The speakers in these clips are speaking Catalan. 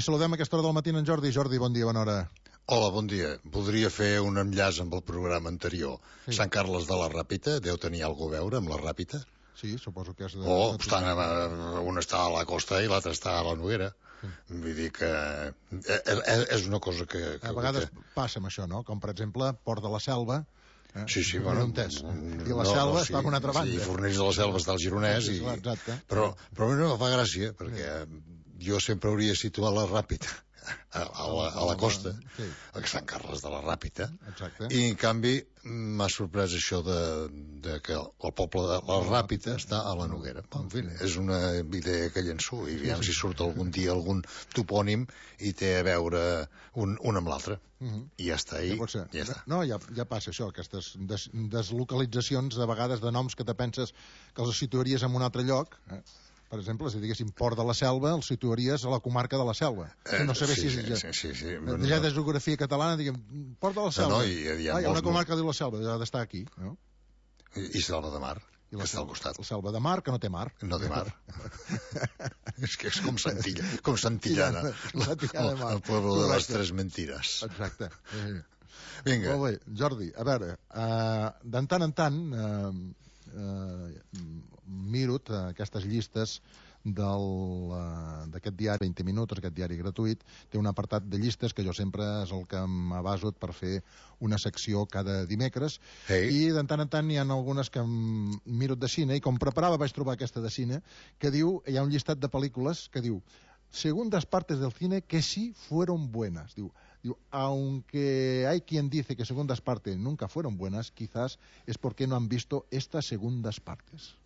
saludem a aquesta hora del matí en Jordi. Jordi, bon dia, bona hora. Hola, bon dia. Voldria fer un enllaç amb el programa anterior. Sí. Sant Carles de la Ràpita, deu tenir alguna a veure amb la Ràpita? Sí, suposo que és de... un està a la costa i l'altre està a la Noguera. Sí. Vull dir que és una cosa que a vegades passa amb això, no? Com, per exemple, Port de la Selva. Sí, bueno... I la Selva està a una altra banda. Sí, Fornells de la Selva està al Gironès. Exacte. Però a mi no em fa gràcia, perquè jo sempre hauria situat la Ràpita a la costa, a Sant Carles de la Ràpita. Exacte. I, en canvi, m'ha sorprès això de que el poble de la Ràpita està a la Noguera. En fi, és una idea que llenço, i aviam si surt algun dia algun topònim i té a veure un amb l'altre. I ja està, ja està. No, ja passa això, aquestes deslocalitzacions, de vegades, de noms que te penses que els situaries en un altre lloc, per exemple, si diguéssim Port de la Selva, el situaries a la comarca de la Selva. No sé si ja de geografia catalana, diguem, Port de la Selva. Hi ha una comarca que diu la Selva, ha d'estar aquí. I Selva de Mar, que està al costat. La Selva de Mar, que no té mar. No té mar. És que és com Santillana. El poble de les tres mentires. Exacte. Vinga. Molt bé, Jordi, a veure, de tant en tant miro aquestes llistes d'aquest diari 20 minuts, aquest diari gratuït. Té un apartat de llistes que jo sempre és el que m'abaso per fer una secció cada dimecres, i de tant en tant hi ha algunes que miro de cine, i com preparava vaig trobar aquesta de cine, que diu, hi ha un llistat de pel·lícules que diu segundas partes del cine que sí fueron buenas. Diu, aunque hay quien dice que segundas partes nunca fueron buenas, quizás es porque no han visto estas segundas partes.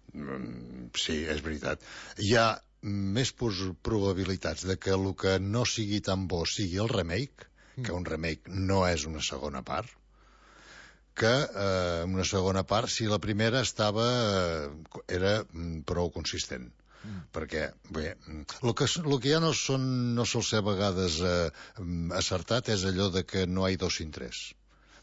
Sí, és veritat. Hi ha més probabilitats de que el que no sigui tan bo sigui el remake, que un remake no és una segona part, que una segona part si la primera era prou consistent. Perquè, bé, el que ja no sol ser a vegades acertat és allò de que no hi ha dos sin tres.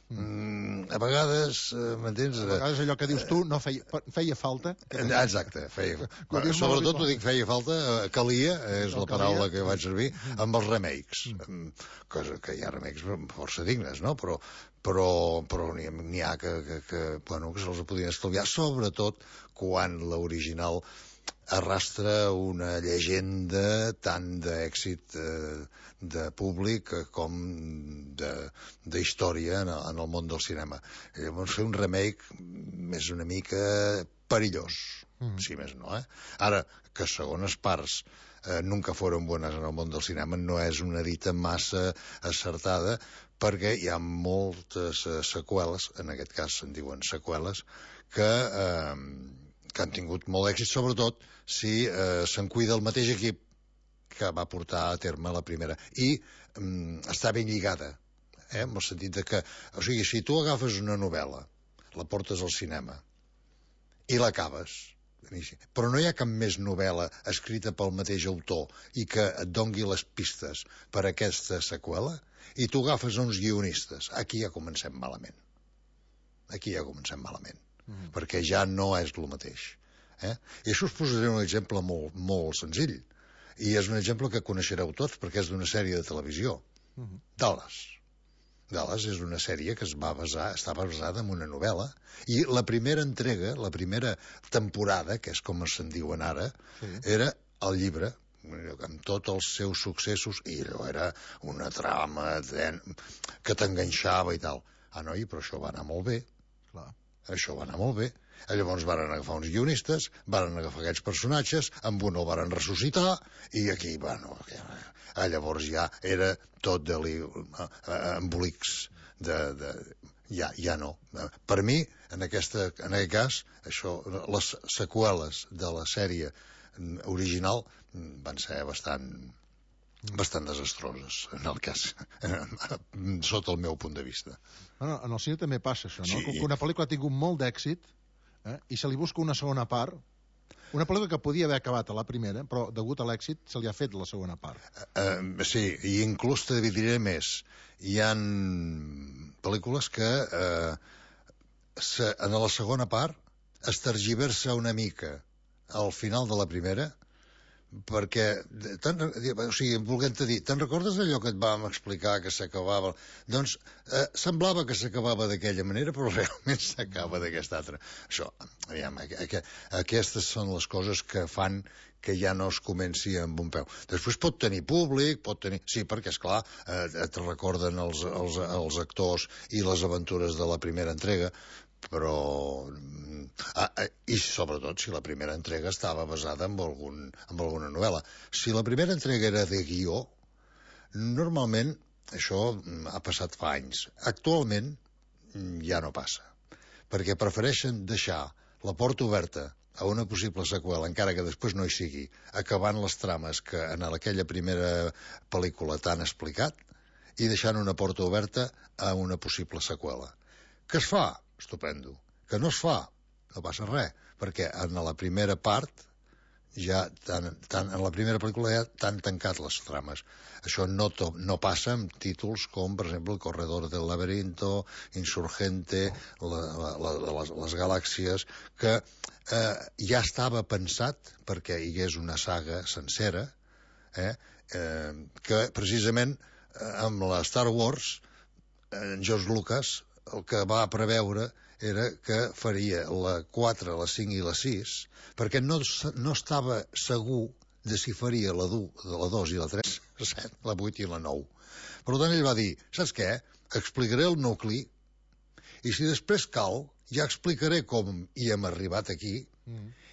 A vegades, m'entens? A vegades allò que dius tu no feia falta. Exacte, sobretot ho dic feia falta, calia, és la paraula que vaig servir, amb els remakes. Cosa que hi ha remakes força dignes, no? Però n'hi ha que se'ls podien estalviar, sobretot quan l'original arrastra una llegenda tant d'èxit de públic com d'història en el món del cinema. Llavors fer un remake és una mica perillós, si més no. Ara, que segones parts nunca foren bones en el món del cinema no és una dita massa acertada, perquè hi ha moltes seqüeles, en aquest cas se'n diuen seqüeles, que han tingut molt d'èxit, sobretot si se'n cuida el mateix equip que va portar a terme la primera. I està ben lligada, en el sentit de que, o sigui, si tu agafes una novel·la, la portes al cinema i l'acabes, però no hi ha cap més novel·la escrita pel mateix autor i que et dongui les pistes per a aquesta seqüela, i tu agafes uns guionistes, aquí ja comencem malament. Perquè ja no és el mateix. I això us posaré un exemple molt, molt senzill, i és un exemple que coneixereu tots perquè és d'una sèrie de televisió. Dallas és una sèrie que està basada en una novel·la, i la primera entrega, la primera temporada, que és com se'n diuen ara, era el llibre, amb tots els seus successos, i allò era una trama que t'enganxava i tal. Noi, però això va anar molt bé. Llavors van agafar uns guionistes, van agafar aquests personatges, amb un el van ressuscitar, i aquí, llavors ja era tot embolics ja no. Per mi, en aquest cas, les seqüeles de la sèrie original van ser bastant desastroses, en el cas, sota el meu punt de vista. En el cine també passa això, no? Que una pel·lícula ha tingut molt d'èxit i se li busca una segona part, una pel·lícula que podia haver acabat a la primera, però degut a l'èxit se li ha fet la segona part. Sí, i inclús te diré més, hi ha pel·lícules que en la segona part es tergiversa una mica al final de la primera perquè, o sigui, volent-te dir, te'n recordes allò que et vam explicar que s'acabava? Doncs semblava que s'acabava d'aquella manera, però realment s'acaba d'aquesta altra. Això, aviam, aquestes són les coses que fan que ja no es comenci amb un peu. Després pot tenir públic, pot tenir... Sí, perquè, esclar, et recorden els actors i les aventures de la primera entrega, però... i sobretot si la primera entrega estava basada en alguna novel·la. Si la primera entrega era de guió, normalment això ha passat fa anys. Actualment ja no passa, perquè prefereixen deixar la porta oberta a una possible seqüela, encara que després no hi sigui, acabant les trames que en aquella primera pel·lícula t'han explicat i deixant una porta oberta a una possible seqüela. Què es fa? Estupendo. Que no es fa? No passa res, perquè en la primera part ja en la primera pel·lícula ja t'han tancat les trames. Això no passa amb títols com, per exemple, El corredor del laberinto, Insurgente, les galàxies, que ja estava pensat perquè hi hagués una saga sencera, que precisament amb la Star Wars, en George Lucas el que va preveure era que faria la 4, la 5 i la 6, perquè no estava segur de si faria la 2 i la 3, la 7, la 8 i la 9. Per tant, ell va dir, saps què? Explicaré el nucli, i si després cal, ja explicaré com hi hem arribat aquí,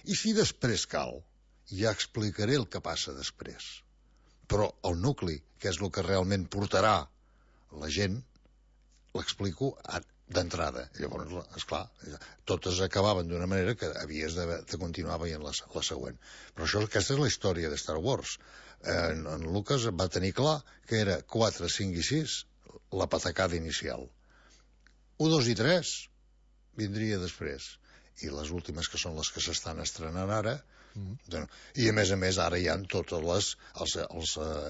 i si després cal, ja explicaré el que passa després. Però el nucli, que és el que realment portarà la gent, l'explico d'entrada. Llavors, esclar, totes acabaven d'una manera que havies de continuar veient la següent. Però aquesta és la història de Star Wars. En Lucas va tenir clar que era 4, 5 i 6 la patacada inicial. 1, 2 i 3 vindria després. I les últimes, que són les que s'estan estrenant ara, i a més ara hi ha tots els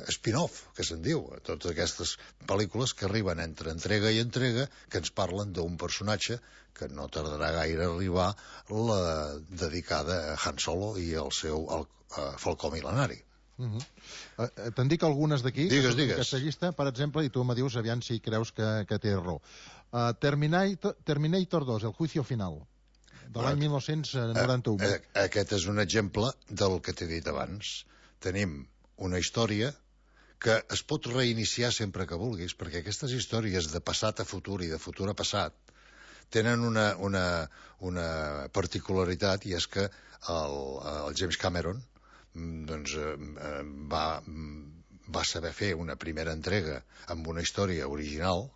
spin-off, que se'n diu, totes aquestes pel·lícules que arriben entre entrega i entrega, que ens parlen d'un personatge que no tardarà gaire a arribar, la dedicada a Han Solo i al seu Falcó Mil·lenari. Te'n dic algunes d'aquí, digues. Aquesta llista, per exemple, i tu me dius aviam si creus que té raó. Terminator 2, El juicio final, de l'any 1991. Aquest és un exemple del que t'he dit abans. Tenim una història que es pot reiniciar sempre que vulguis, perquè aquestes històries de passat a futur i de futur a passat tenen una particularitat, i és que el James Cameron va saber fer una primera entrega amb una història original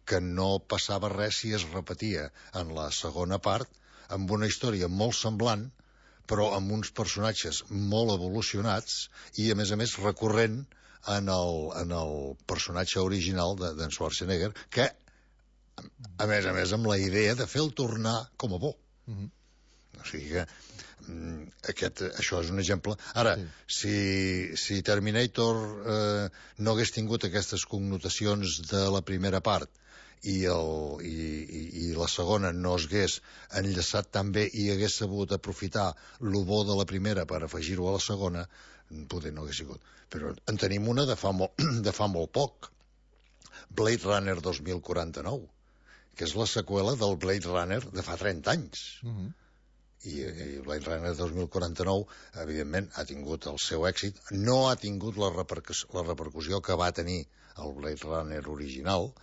que no passava res si es repetia en la segona part, amb una història molt semblant, però amb uns personatges molt evolucionats i, a més, recurrent en el personatge original d'en Schwarzenegger, que, a més, amb la idea de fer-lo tornar com a bo. O sigui que això és un exemple. Ara, si Terminator no hagués tingut aquestes connotacions de la primera part i la segona no es hagués enllaçat tan bé i hagués sabut aprofitar el bo de la primera per afegir-ho a la segona, poder no hagués sigut. Però en tenim una de fa molt poc, Blade Runner 2049, que és la seqüela del Blade Runner de fa 30 anys. I Blade Runner 2049, evidentment, ha tingut el seu èxit, no ha tingut la repercussió que va tenir el Blade Runner original,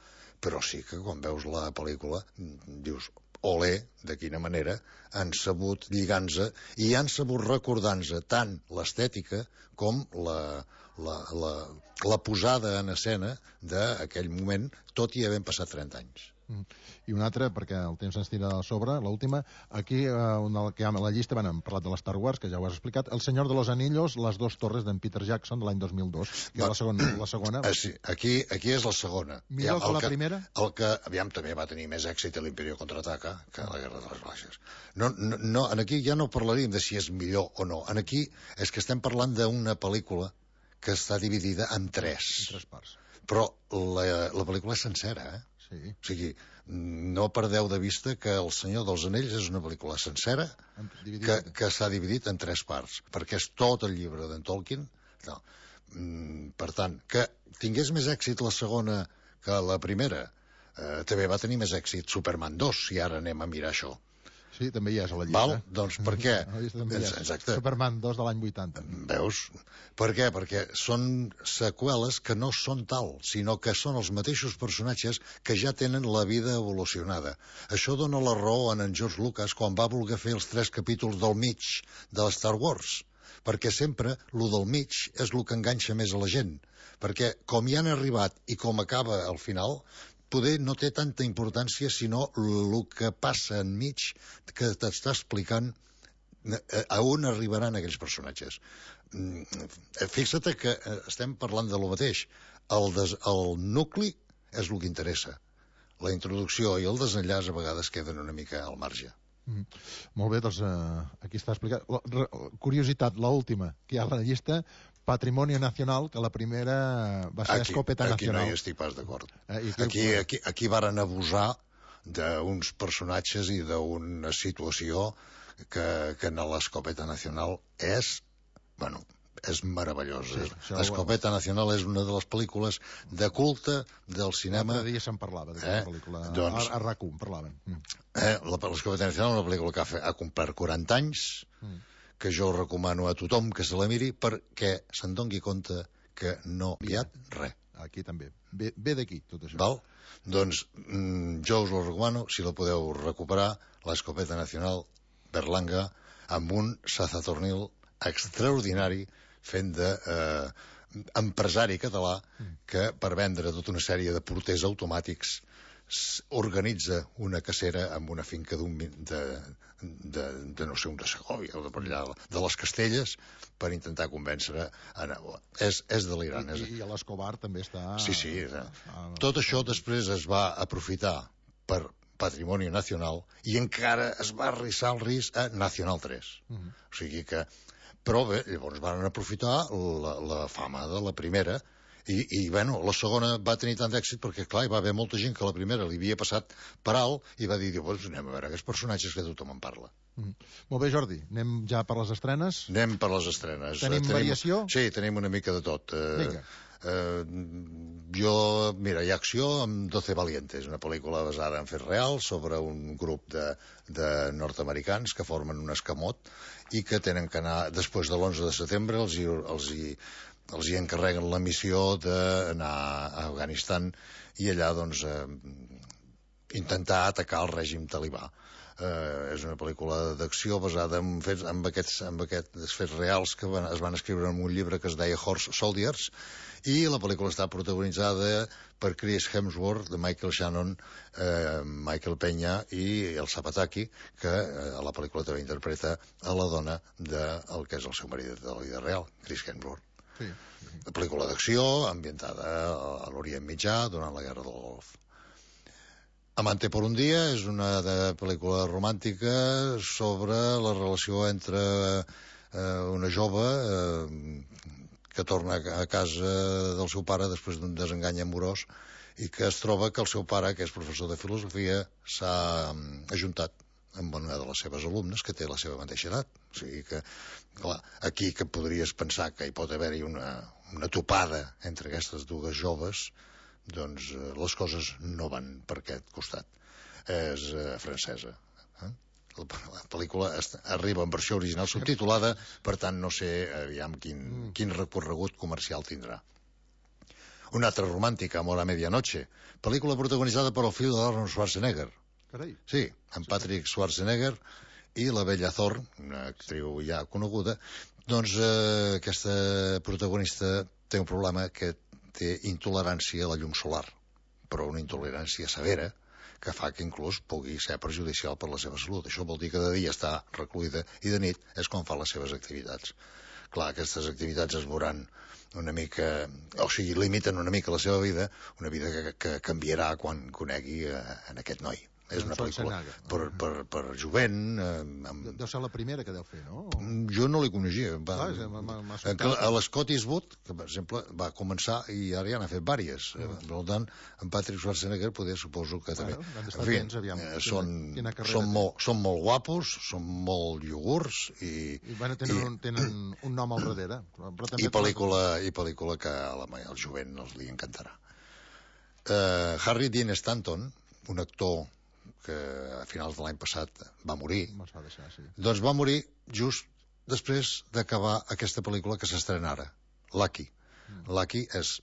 però sí que quan veus la pel·lícula dius, olé, de quina manera han sabut lligant-se i han sabut recordar-se tant l'estètica com la posada en escena d'aquell moment, tot i havent passat 30 anys. I una altra, perquè el temps ens tira a sobre, l'última, aquí a la llista hem parlat de la Star Wars, que ja ho has explicat, El Senyor de los Anillos, Les dos torres d'en Peter Jackson, de l'any 2002, que és la segona. Sí, aquí és la segona. Millor que la primera? El que, aviam, també va tenir més èxit a l'Imperio Contraataca que a la Guerra de les Galàxies. No, aquí ja no parlaríem de si és millor o no. Aquí és que estem parlant d'una pel·lícula que està dividida en tres. En tres parts. Però la pel·lícula és sencera, Sí. Sí. O sigui, no perdeu de vista que El Senyor dels Anells és una pel·lícula sencera que s'ha dividit en 3 parts, perquè és tot el llibre d'en Tolkien. No. Per tant, que tingués més èxit la segona que la primera, també va tenir més èxit Superman 2, si ara anem a mirar això. Sí, també hi és a la llista. Val? Doncs per què? Exacte. Superman 2 de l'any 80. Veus? Per què? Perquè són seqüeles que no són tal, sinó que són els mateixos personatges que ja tenen la vida evolucionada. Això dona la raó a en George Lucas quan va voler fer els 3 capítols del mig de Star Wars, perquè sempre lo del mig és el que enganxa més a la gent, perquè com hi han arribat i com acaba al final, poder no té tanta importància sinó el que passa enmig que t'està explicant a on arribaran aquells personatges. Fixa't que estem parlant de lo mateix. El nucli és el que interessa. La introducció i el desenllaç a vegades queden una mica al marge. Molt bé, doncs aquí està explicat. Curiositat, l'última que hi ha a la llista, Patrimonio Nacional, que la primera va ser Escopeta Nacional. Aquí no hi estic pas d'acord. Aquí varen abusar d'uns personatges i d'una situació que en l'Escopeta Nacional és meravellosa. Sí, Escopeta Nacional és una de les pel·lícules de culte del cinema. L'altre dia se'n parlava d'aquesta pel·lícula. Doncs, a RAC1 parlaven. L'Escopeta Nacional és una pel·lícula que ha complert 40 anys, que jo recomano a tothom que se la miri perquè se'n doni compte que no hi ha res. Aquí també. Ve d'aquí, tot això. Val? Doncs jo us la recomano, si la podeu recuperar, l'Escopeta Nacional, Berlanga, amb un Sazatornil extraordinari fent d'empresari català que per vendre tota una sèrie de porters automàtics organitza una cacera amb una finca de no sé, un de Segòvia o de per allà, de les Castelles, per intentar convèncer és delirant. I l'Escobar també està... Sí. Tot això després es va aprofitar per Patrimoni Nacional i encara es va arrissar el risc a Nacional 3. O sigui que... Però bé, llavors van aprofitar la fama de la primera i bueno, la segona va tenir tant d'èxit perquè, clar, hi va haver molta gent que la primera li havia passat per alt i va dir, doncs anem a veure aquests personatges que tothom en parla. Molt bé, Jordi, anem ja per les estrenes? Anem per les estrenes. Tenim variació? Sí, tenim una mica de tot. Vinga. Mira, hi ha acció amb 12 Valientes, una pel·lícula basada en fets reals sobre un grup de nord-americans que formen un escamot i que tenen que anar, després de l'11 de setembre, els hi encarreguen la missió d'anar a Afganistan i allà, doncs, intentar atacar el règim talibà. És una pel·lícula d'acció basada en aquests fets reals que es van escriure en un llibre que es deia Horse Soldiers, i la pel·lícula està protagonitzada per Chris Hemsworth, de Michael Shannon, Michael Peña i el Zapataki, que a la pel·lícula també interpreta a la dona del que és el seu marit de la vida real, Chris Hemsworth. Sí. La pel·lícula d'acció ambientada a l'Orient Mitjà durant la Guerra del Golf. Amante por un dia és una pel·lícula romàntica sobre la relació entre una jove que torna a casa del seu pare després d'un desengany amorós i que es troba que el seu pare, que és professor de filosofia, s'ha ajuntat amb una de les seves alumnes que té la seva mateixa edat. O sigui que, clar, aquí que podries pensar que hi pot haver-hi una topada entre aquestes dues joves, doncs les coses no van per aquest costat. És francesa. La pel·lícula arriba en versió original subtitulada, per tant no sé aviam quin recorregut comercial tindrà. Una altra romàntica, Amor a Medianoche, pel·lícula protagonitzada per el fill d'Arnold Schwarzenegger. Carai. Sí, en Patrick Schwarzenegger i la Bella Thorne, una actriu ja coneguda. Doncs aquesta protagonista té un problema que té intolerància a la llum solar, però una intolerància severa que fa que inclús pugui ser perjudicial per la seva salut. Això vol dir que de dia està recluïda i de nit és quan fa les seves activitats. Clar, aquestes activitats es veuran una mica, o sigui, limiten una mica la seva vida, una vida que canviarà quan conegui en aquest noi, És una pel·lícula per jovent. Deu ser la primera que deu fer, no? Jo no l'hi coneixia. A l'Scott Eastwood, que per exemple va començar i ara ja n'ha fet vàries. Per tant, en Patrick Schwarzenegger suposo que també. Són molt guapos, són molt iogurts i tenen un nom al darrere. I pel·lícula que al jovent li encantarà. Harry Dean Stanton, un actor que a finals de l'any passat va morir, doncs va morir just després d'acabar aquesta pel·lícula que s'estrena ara, Lucky. Lucky és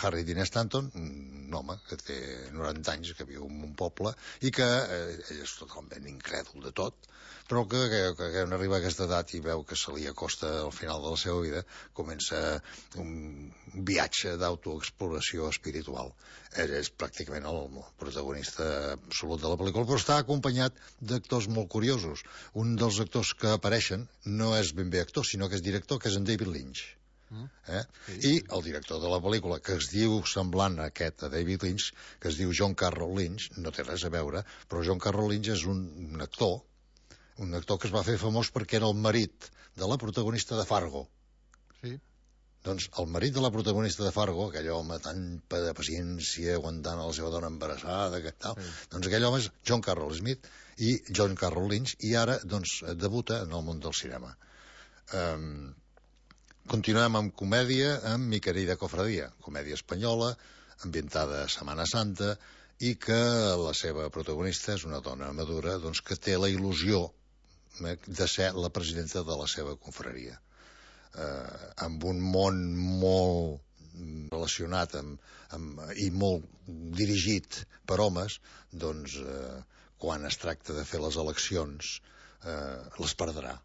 Harry Dean Stanton, un home que té 90 anys, que viu en un poble i que ell és totalment incrèdul de tot, però que quan arriba a aquesta edat i veu que se li acosta al final de la seva vida, comença un viatge d'autoexploració espiritual. Ell és pràcticament el protagonista absolut de la pel·lícula, però està acompanyat d'actors molt curiosos. Un dels actors que apareixen no és ben bé actor, sinó que és director, que és en David Lynch. I el director de la pel·lícula, que es diu semblant a aquest, a David Lynch, que es diu John Carroll Lynch, no té res a veure, però John Carroll Lynch és un actor que es va fer famós perquè era el marit de la protagonista de Fargo. Sí. Doncs el marit de la protagonista de Fargo, aquell home tan de paciència aguantant a la seva dona embarassada, doncs aquell home és John Carroll Smith i John Carroll Lynch, i ara doncs debuta en el món del cinema. Continuem amb comèdia, amb Mi querida cofradia, comèdia espanyola, ambientada a Setmana Santa, i que la seva protagonista és una dona madura doncs, que té la il·lusió de ser la presidenta de la seva confraria. Amb un món molt relacionat i molt dirigit per homes, doncs quan es tracta de fer les eleccions les perdrà.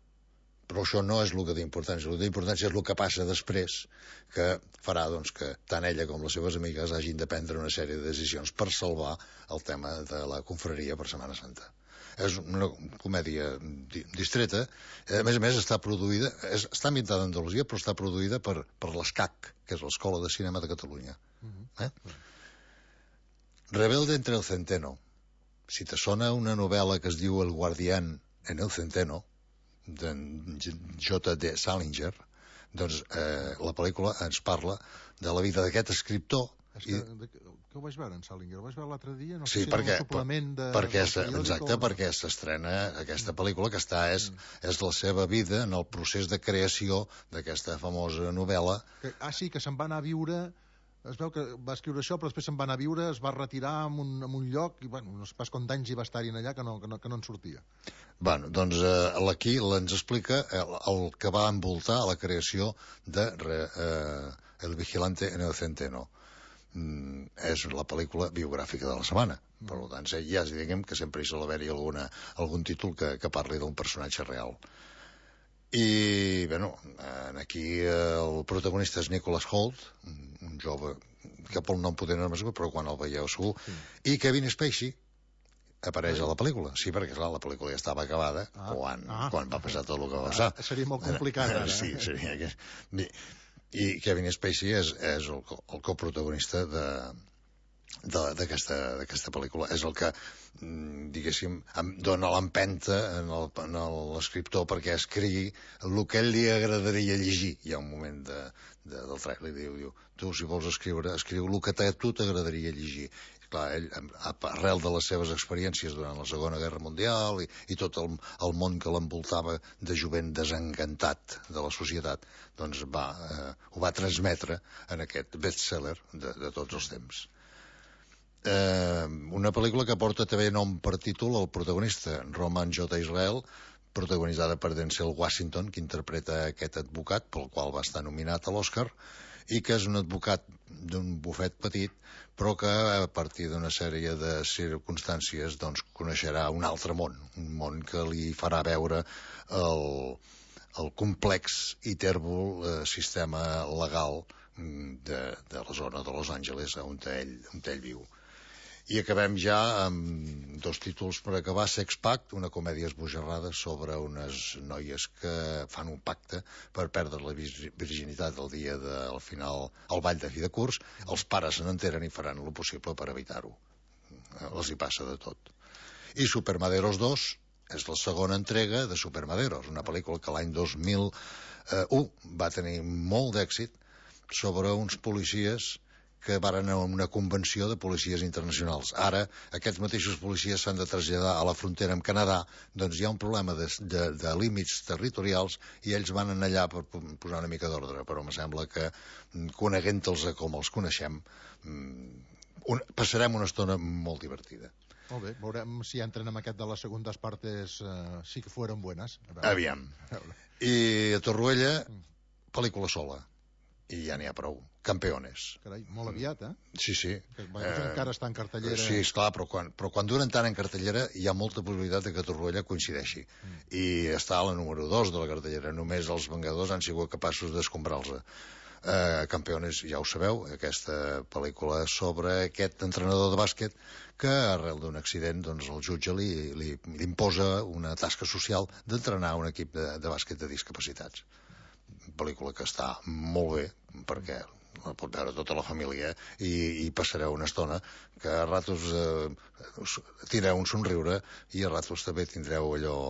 Però això no és el que té importància. El que té importància és el que passa després, que farà doncs, que tant ella com les seves amigues hagin de prendre una sèrie de decisions per salvar el tema de la confraria per Setmana Santa. És una comèdia distreta. A més està produïda, està ambientada a Andalusia, però està produïda per l'ESCAC, que és l'Escola de Cinema de Catalunya. Rebelde entre el centeno. Si te sona una novel·la que es diu El guardián en el centeno, d'en J.D. Salinger, doncs la pel·lícula ens parla de la vida d'aquest escriptor. Que ho vaig veure en Salinger, ho vaig veure l'altre dia, no sé si era un suplement perquè s'estrena aquesta pel·lícula, que és la seva vida en el procés de creació d'aquesta famosa novel·la. Sí, que se'n va anar a viure. Es veu que va escriure això, però després se'n va anar a viure, es va retirar en un lloc, i no sé pas quants anys hi va estar-hi allà que no en sortia. Doncs aquí ens explica el que va envoltar la creació de El vigilante en el centeno. És la pel·lícula biogràfica de la setmana. Per tant, ja diguem que sempre hi sol haver-hi algun títol que parli d'un personatge real. I, aquí el protagonista és Nicholas Hoult, un jove que pel nom poder no és, però quan el veieu segur, i Kevin Spacey apareix a la pel·lícula. Sí, perquè clar, la pel·lícula ja estava acabada quan va passar tot el que va passar. Seria molt complicat, ara. Sí, seria. I Kevin Spacey és el coprotagonista d'aquesta pel·lícula. És el que, diguéssim, dona l'empenta a l'escriptor perquè escrigui el que ell li agradaria llegir. Hi ha un moment del trailer i diu, tu, si vols escriure, escriu el que a tu t'agradaria llegir. Clar, ell, arrel de les seves experiències durant la Segona Guerra Mundial i tot el món que l'envoltava de jovent desencantat de la societat, doncs ho va transmetre en aquest best-seller de tots els temps. Una pel·lícula que porta també nom per títol el protagonista, Roman J. Israel, protagonitzada per Denzel Washington, que interpreta aquest advocat pel qual va estar nominat a l'Oscar, i que és un advocat d'un bufet petit, però que a partir d'una sèrie de circumstàncies doncs, coneixerà un altre món, un món que li farà veure el complex i tèrbol sistema legal de la zona de Los Angeles on ell viu. I acabem ja amb dos títols per acabar. Sex Pact, una comèdia esbojarrada sobre unes noies que fan un pacte per perdre la virginitat el dia del final, al ball de fi de curs. Els pares se n'enteren i faran el possible per evitar-ho. Els hi passa de tot. I Supermaderos 2 és la segona entrega de Supermaderos, una pel·lícula que l'any 2001 va tenir molt d'èxit sobre uns policies que varen a una convenció de policies internacionals. Ara, aquests mateixos policies s'han de traslladar a la frontera amb Canadà, doncs hi ha un problema de límits territorials i ells van anar allà per posar una mica d'ordre, però em sembla que, coneguent-los com els coneixem, passarem una estona molt divertida. Molt bé, veurem si entren en aquest de les segundes partes sí que fueron buenas. Aviam. I a Torroella, pel·lícula sola. I ja n'hi ha prou. Campeones. Carai, molt aviat, Sí, sí. Encara està en cartellera. Sí, esclar, però quan duren tant en cartellera hi ha molta possibilitat que Torroella coincideixi. I està a la número 2 de la cartellera. Només els Vengadors han sigut capaços d'escombrar-los. Campeones, ja ho sabeu, aquesta pel·lícula sobre aquest entrenador de bàsquet que arrel d'un accident doncs, el jutge li imposa una tasca social d'entrenar un equip de bàsquet de discapacitats. Pel·lícula que està molt bé perquè la pot veure tota la família i passareu una estona que a ratos tindreu un somriure i a ratos també tindreu allò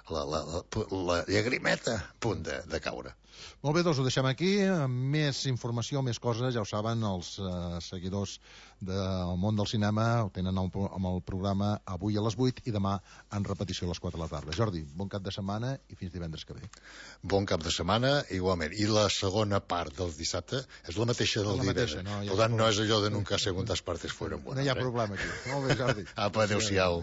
la llagrimeta a punt de caure. Molt bé, doncs ho deixem aquí. Més informació, més coses, ja ho saben, els seguidors del món del cinema ho tenen amb el programa avui a les 8 i demà en repetició a les 4 de la tarda. Jordi, bon cap de setmana i fins divendres que ve. Bon cap de setmana, igualment. I la segona part del dissabte és la mateixa del divendres. Per tant, no és allò de nunca segundas partes fueron buenas. No hi ha problema aquí. Molt bé, Jordi. Apa, adéu-siau.